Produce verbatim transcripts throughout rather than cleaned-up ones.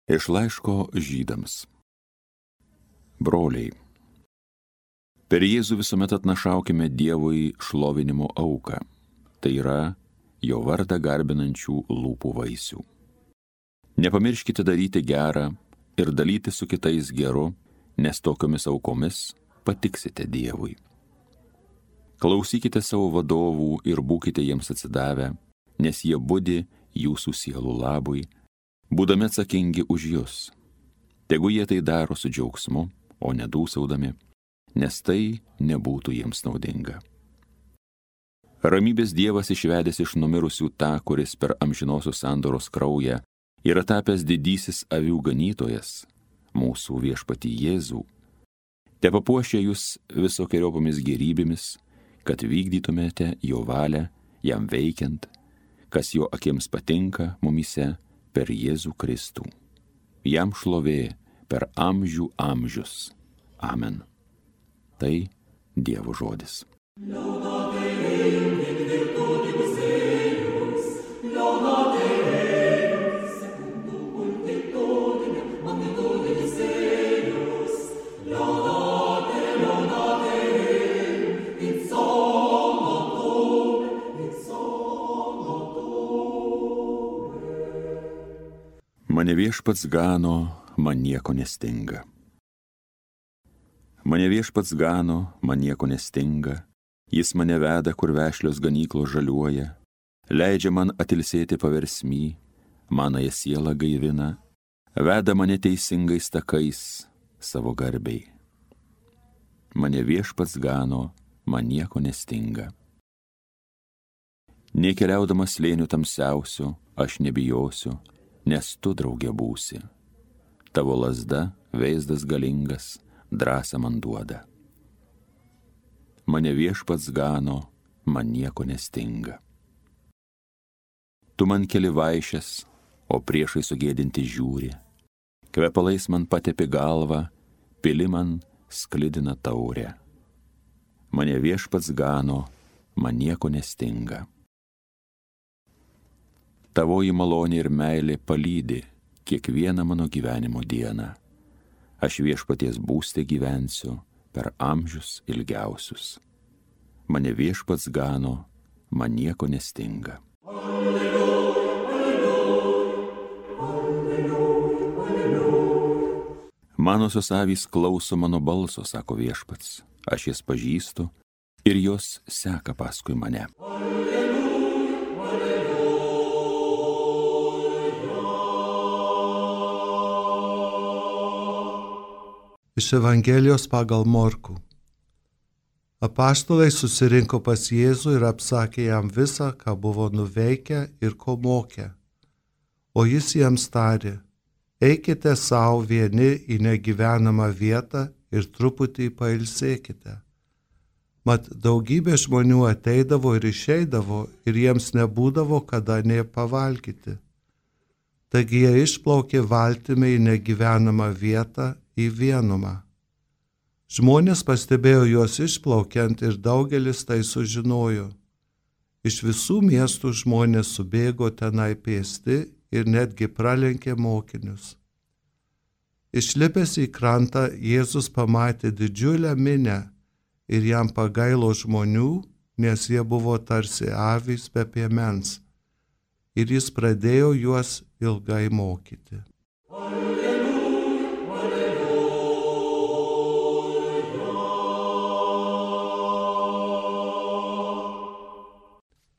Iš laiško Žydams. Broliai, per Jėzų visuomet atnašaukime Dievui šlovinimo auką, tai yra jo vardą garbinančių lūpų vaisių. Nepamirškite daryti gerą ir dalyti su kitais geru, nes tokiomis aukomis patiksite Dievui. Klausykite savo vadovų ir būkite jiems atsidavę, nes jie budi jūsų sielų labui, būdami atsakingi už jus. Tegu jie tai daro su džiaugsmu, o nedūsaudami, nes tai nebūtų jiems naudinga. Ramybės Dievas išvedęs iš numirusių tą, kuris per amžinosios sandoros kraują yra tapęs didysis avių ganytojas, mūsų viešpatį Jėzų, tepapuošia jūs visokiojopomis gerybėmis, kad vykdytumėte jo valią, jam veikiant, kas jo akims patinka mumyse per Jėzų Kristų. Jam šlovė per amžių amžius. Amen. Tai Dievo žodis. Mane viešpats gano, man nieko nestinga. Mane viešpats gano, man nieko nestinga. Jis mane veda, kur vešlios ganyklos žaliuoja. Leidžia man atilsėti paversmy, manąją sielą gaivina. Veda mane teisingais takais savo garbei. Mane viešpats gano, man nieko nestinga. Nei keliaudamas slėniu tamsiausiu, aš nebijosiu, nes tu drauge būsi. Tavo lazda, veizdas galingas, drąsą man duoda. Mane viešpats gano, man nieko nestinga. Tu man keli vaišes, o priešai sugėdinti žiūri. Kvepalais man patepi galvą, pili man sklidina taurę. Mane viešpats gano, man nieko nestinga. Tavoji malonė ir meilė palydi kiekvieną mano gyvenimo dieną. Aš viešpaties būste gyvensiu per amžius ilgiausius. Mane viešpats gano, man nieko nestinga. Alleluja, alleluja, alleluja. Manosios avys klauso mano balso, sako viešpats. Aš jas pažįstu ir jos seka paskui mane. Iš Evangelijos pagal Morkų. Apaštalai susirinko pas Jėzų ir apsakė jam visą, ką buvo nuveikę ir ko mokė. O jis jiems tarė, eikite savo vieni į negyvenamą vietą ir truputį pailsėkite. Mat daugybė žmonių ateidavo ir išeidavo ir jiems nebūdavo kada nė pavalgyti. Taigi jie išplaukė valtimi į negyvenamą vietą į vienumą. Žmonės pastebėjo juos išplaukiant ir daugelis tai sužinojo. Iš visų miestų žmonės subėgo tenai pėsti ir netgi pralenkė mokinius. Išlipęs į krantą, Jėzus pamatė didžiulę minią ir jam pagailo žmonių, nes jie buvo tarsi avys be piemens. Ir jis pradėjo juos ilgai mokyti.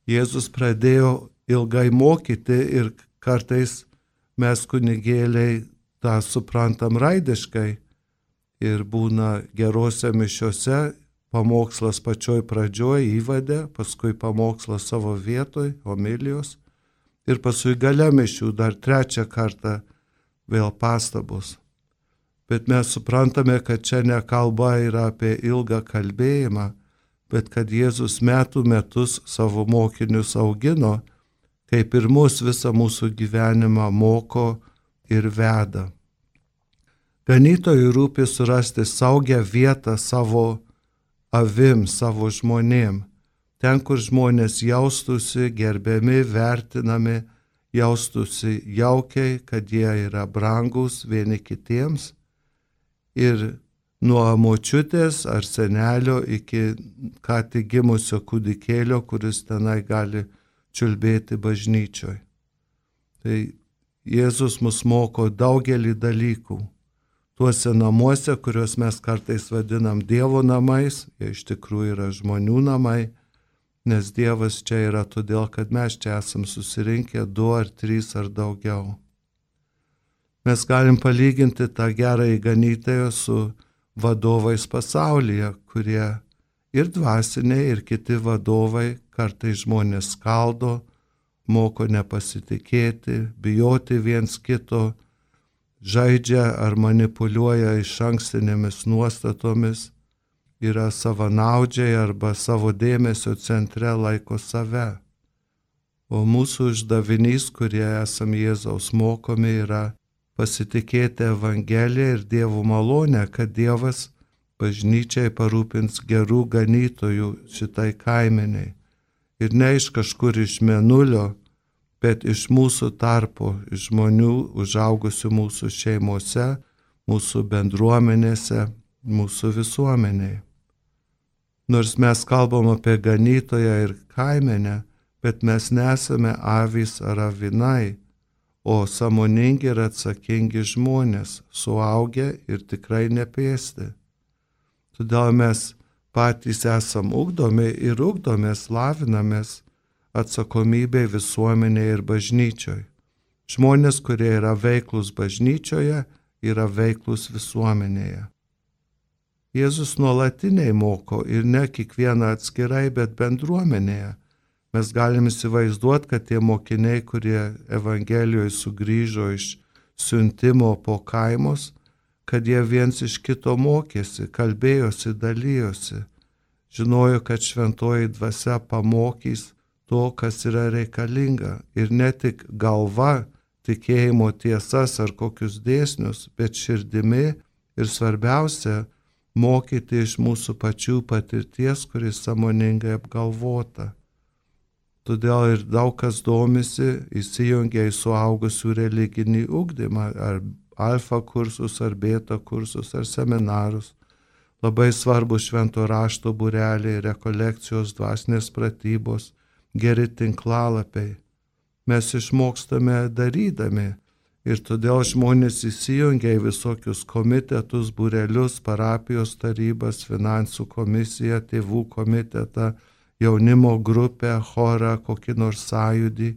Jėzus pradėjo ilgai mokyti ir kartais mes kunigėliai tą suprantam raidiškai ir būna gerose mišiose pamokslas pačioj pradžioj įvade, paskui pamokslas savo vietoj, homilijos ir paskui gale mišių dar trečią kartą vėl pastabos. Bet mes suprantame, kad čia ne kalba yra apie ilgą kalbėjimą, bet kad Jėzus metų metus savo mokinius augino, kaip ir mus visą mūsų gyvenimą moko ir veda. Ganytojui rūpi surasti saugią vietą savo avim, savo žmonėm, ten, kur žmonės jaustųsi gerbiami, vertinami, jaustųsi jaukiai, kad jie yra brangus vieni kitiems. Ir nuo močiutės ar senelio iki ką tik gimusio kūdikėlio, kuris tenai gali čiulbėti bažnyčioj. Tai Jėzus mus moko daugelį dalykų. Tuose namuose, kuriuos mes kartais vadinam Dievo namais, jie iš tikrųjų yra žmonių namai, nes Dievas čia yra todėl, kad mes čia esam susirinkę du ar trys ar daugiau. Mes galim palyginti tą gerąjį ganytoją su vadovais pasaulyje, kurie ir dvasiniai, ir kiti vadovai kartais žmonės skaldo, moko nepasitikėti, bijoti viens kito, žaidžia ar manipuliuoja iš ankstinėmis nuostatomis, yra savanaudžiai arba savo dėmesio centre laiko save. O mūsų uždavinys, kurie esam Jėzaus mokomi, yra pasitikėti Evangeliją ir Dievo malonę, kad Dievas bažnyčiai parūpins gerų ganytojų šitai kaimeniai. Ir ne iš kažkur iš mėnulio, bet iš mūsų tarpo, iš žmonių užaugusių mūsų šeimose, mūsų bendruomenėse, mūsų visuomenėje. Nors mes kalbam apie ganytoją ir kaimenę, bet mes nesame avys ar avinai, o sąmoningi ir atsakingi žmonės, suaugę ir tikrai nepėsti. Todėl mes patys esam ugdomi ir ugdomės, lavinamės atsakomybė visuomenėje ir bažnyčioje. Žmonės, kurie yra veiklus bažnyčioje, yra veiklus visuomenėje. Jėzus nuolatiniai moko ir ne kiekvieną atskirai, bet bendruomenėje. Mes galim įsivaizduoti, kad tie mokiniai, kurie Evangelijoje sugrįžo iš siuntimo po kaimus, kad jie viens iš kito mokėsi, kalbėjosi, dalyjosi, žinojo, kad šventoji dvasia pamokys to, kas yra reikalinga. Ir ne tik galva, tikėjimo tiesas ar kokius dėsnius, bet širdimi ir svarbiausia, mokyti iš mūsų pačių patirties, kuris sąmoningai apgalvota. Todėl ir daug kas domisi, įsijungia į suaugusių religinį ugdymą, ar alfa kursus, ar beta kursus, ar seminarus. Labai svarbu švento rašto būreliai, rekolekcijos, dvasinės pratybos, geri tinklalapiai. Mes išmokstame darydami ir todėl žmonės įsijungia į visokius komitetus, būrelius, parapijos tarybas, finansų komisiją, tėvų komitetą, jaunimo grupę, chorą, kokį nors sąjūdį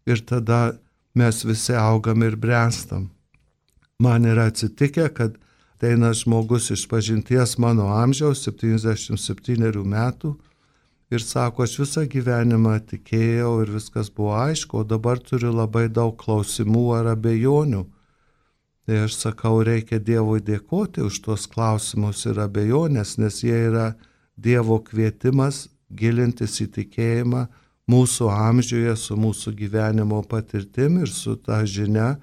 ir tada mes visi augam ir bręstam. Man yra atsitikę, kad ateina žmogus iš pažinties mano amžiaus, septyniasdešimt septynerių metų, ir sako, aš visą gyvenimą tikėjau ir viskas buvo aišku, o dabar turiu labai daug klausimų ar abejonių. Tai aš sakau, reikia Dievui dėkoti už tuos klausimus ir abejonės, nes jie yra Dievo kvietimas gilintis į tikėjimą mūsų amžiuje, su mūsų gyvenimo patirtim ir su ta žinia,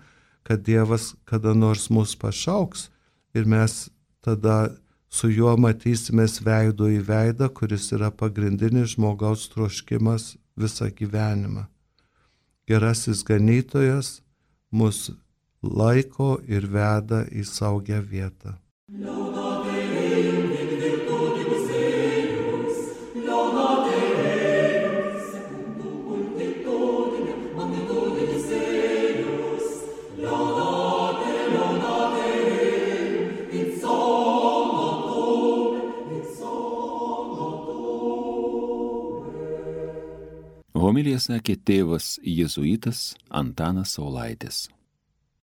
kad Dievas kada nors mus pašauks ir mes tada su juo matysimės veido į veidą, kuris yra pagrindinis žmogaus troškimas visą gyvenimą. Gerasis ganytojas mus laiko ir veda į saugią vietą. Homiliją sakė tėvas jėzuitas Antanas Saulaitis.